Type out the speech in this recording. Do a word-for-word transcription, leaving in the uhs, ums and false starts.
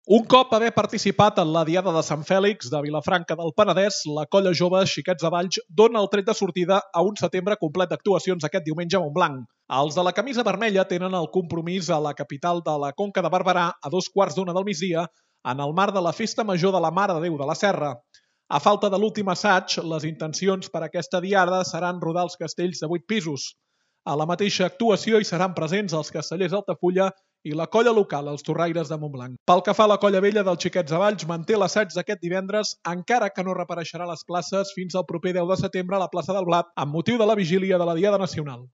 Un cop haver participat en la Diada de Sant Fèlix de Vilafranca del Penedès, la colla jove Xiquets de Valls dona el tret de sortida a un setembre complet d'actuacions aquest diumenge a Montblanc. Els de la camisa vermella tenen el compromís a la capital de la Conca de Barberà a dos quarts d'una del migdia en el marc de la Festa Major de la Mare de Déu de la Serra. A falta de l'últim assaig, les intencions per a aquesta diada seran rodar els castells de vuit pisos. A la mateixa actuació hi seran presents els castellers d'Altafulla i la colla local, els Torraires de Montblanc. Pel que fa a la colla vella dels Xiquets de Valls, manté l'assaig d'aquest divendres, encara que no reapareixerà a les places fins al proper deu de setembre a la plaça del Blat, amb motiu de la vigília de la Diada Nacional.